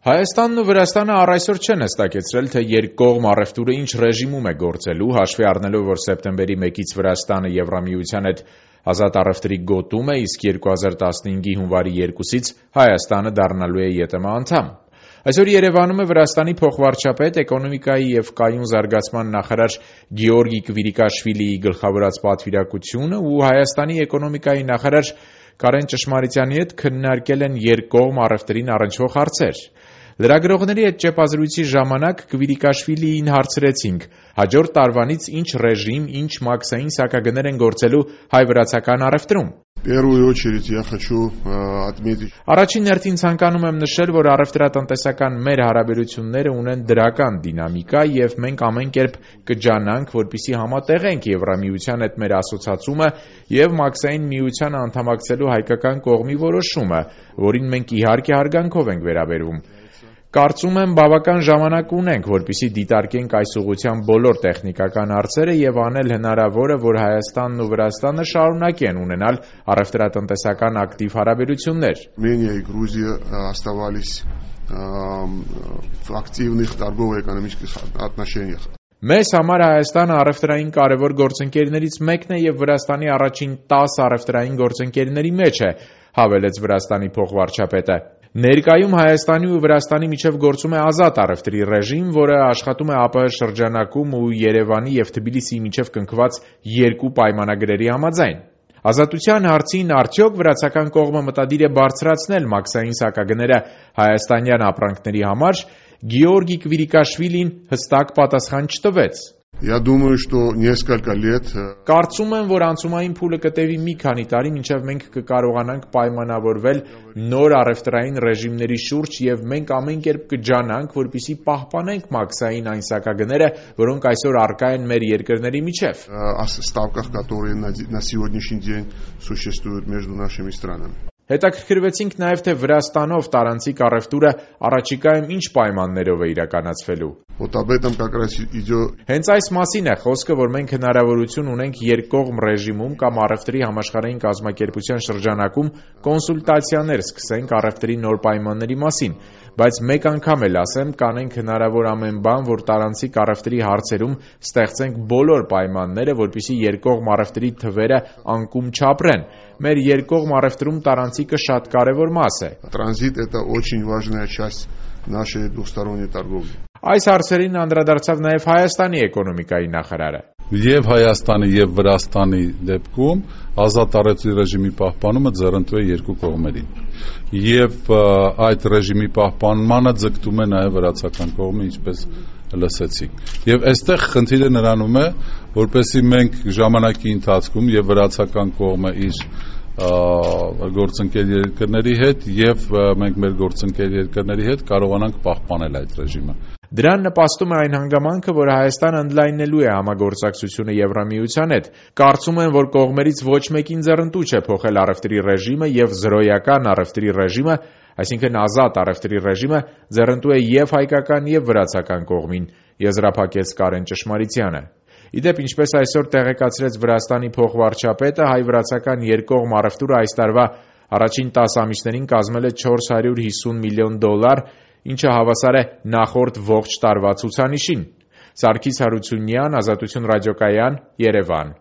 Հայաստանն ու Վրաստանը առ այսօր չեն հստակեցրել, թե երկկողմ առևտուրը ինչ ռեժիմում է գործելու, հաշվի առնելով, որ սեպտեմբերի 1-ից Վրաստանը Եվրամիության հետ ազատ առևտրի գոտում է, իսկ 2015-ի հունվարի 2-ից Հայաստանը դառնալու է ԵՏՄ անդամ։ Այսօր Երևանում է Վրաստանի փոխվարչապետ, էկոնոմիկայի և կայուն զարգացման նախարար Գեորգի Կվիրիկաշվիլիի գլխավորած պատվիրակությունը ու Հայաստանի էկոնոմիկայի նախարար Կարեն Ճշմարիտյանի հետ քննարկել են երկկողմ առևտրին առնչվող հարցեր։ Լրագրողների հետ ճեպազրույցի ժամանակ Կվիրիկաշվիլիին հարցրեցինք. հաջորդ տարվանից ինչ ռեժիմ, ինչ մաքսային սակագներ են գործելու հայ-վրացական առևտրում։ Առաջին հերթին ցանկանում եմ նշել, որ առևտրատնտեսական մեր հարաբերությունները ունեն դրական դինամիկա և մենք ամեն կերպ կջանանք, որպեսզի համատեղենք Եվրամիության հետ մեր ասոցացումը և մաքսային միությանը անդամակցելու հայկական կողմի որոշումը, որին մենք իհարկե հարգանքով ենք վերաբերվում։ Կարծում եմ բավական ժամանակ ունենք, որպեսզի դիտարկենք այս ուղղությամբ բոլոր տեխնիկական հարցերը և անել հնարավորը, որ Հայաստանն ու Վրաստանը շարունակեն ունենալ առևտրատնտեսական ակտիվ հարաբերություններ։ Armenia и Грузия оставались в активных торгово-экономических отношениях. Մեզ համար Հայաստանը առևտրային կարևոր գործընկերներից մեկն է և Վրաստանի առաջին 10 առևտրային գործընկերների մեջ է, հավելեց Վրաստանի փոխվարչապետը։ Ներկայում Հայաստանի ու Վրաստանի միջև գործում է ազատ առևտրի ռեժիմ, որը աշխատում է ԱՊՀ շրջանակում ու Երևանի և Թբիլիսիի միջև կնքված երկու պայմանագրերի համաձայն։ Ազատության հարցին արդյոք վրացական կողմը մտադիր է բարձրացնել մաքսային սակագները հայաստանյան ապրանքների համար, Գեորգի Կվիրիկաշվիլին հստակ պատասխան չտվեց։ Կարծում եմ, որ անցումային փուլը կտևի մի քանի տարի, մինչև մենք կկարողանանք պայմանավորվել նոր առևտրային ռեժիմների շուրջ և մենք ամեն կերպ կջանանք, որպեսզի պահպանենք մաքսային այն սակագները, որոնք այսօր առկա են մեր երկրների միջև։ Հետաքրքրվեցինք նաև, թե Վրաստանով տարանցիկ առևտուրը առաջիկայում ինչ պայմաններով է իրականացվելու։ Հենց այս մասին է խոսքը, որ մենք հնարավորություն ունենք երկկողմ ռեժիմում կամ առևտրի համաշխարհային կազմակերպության շրջանակում կոնսուլտացիաներ սկսենք առևտրի նոր պայմանների մասին, բայց մեկ անգամ էլ ասեմ, կանենք հնարավոր ամեն բան, որ տարանցիկ առևտրի հարցերում ստեղծենք բոլոր պայմանները, որպեսզի երկկողմ առևտրի թվերը անկում չապրեն։ Մեր երկկողմ առևտրում տարանցիկը շատ կարևոր մաս է։ Այս հարցերին անդրադարձավ նաև Հայաստանի էկոնոմիկայի նախարարը։ Եվ Հայաստանի եւ Վրաստանի դեպքում ազատ առևտրի ռեժիմի պահպանումը ձեռնտու է երկու կողմերին։ Եվ այդ ռեժիմի պահպանմանը ձգտում է նաև վրացական կողմը, ինչպես լսեցիք։ Եվ այստեղ խնդիրը նրանում է, որպեսզի մենք ժամանակի ընթացքում եւ վրացական կողմը իր գործընկեր երկրների հետ եւ մենք մեր գործընկեր երկրների հետ կարողանանք պահպանել այդ ռեժիմը։ Դրան նպաստում է այն հանգամանքը, որ Հայաստանը ընդլայնելու է համագործակցությունը Եվրամիության հետ։ Կարծում եմ, որ կողմերից ոչ մեկին ձեռնտու չէ փոխել առևտրի ռեժիմը եւ զրոյական առևտրի ռեժիմը, այսինքն ազատ առևտրի ռեժիմը ձեռնտու է եւ հայկական եւ վրացական կողմին, եզրափակեց Կարեն Ճշմարիտյանը։ Իդեպ, ինչպես այսօր տեղեկացրեց Վրաստանի փոխվարչապետը, հայ-վրացական երկկողմ առևտուրը այս տարվա առաջին 10 ամիսներին կազմել է $450 միլիոն, ինչը հավասար է նախորդ ողջ տարվա ցուցանիշին։ Սարգիս Հարությունյան, Ազատություն ռադիոկայան, Երևան։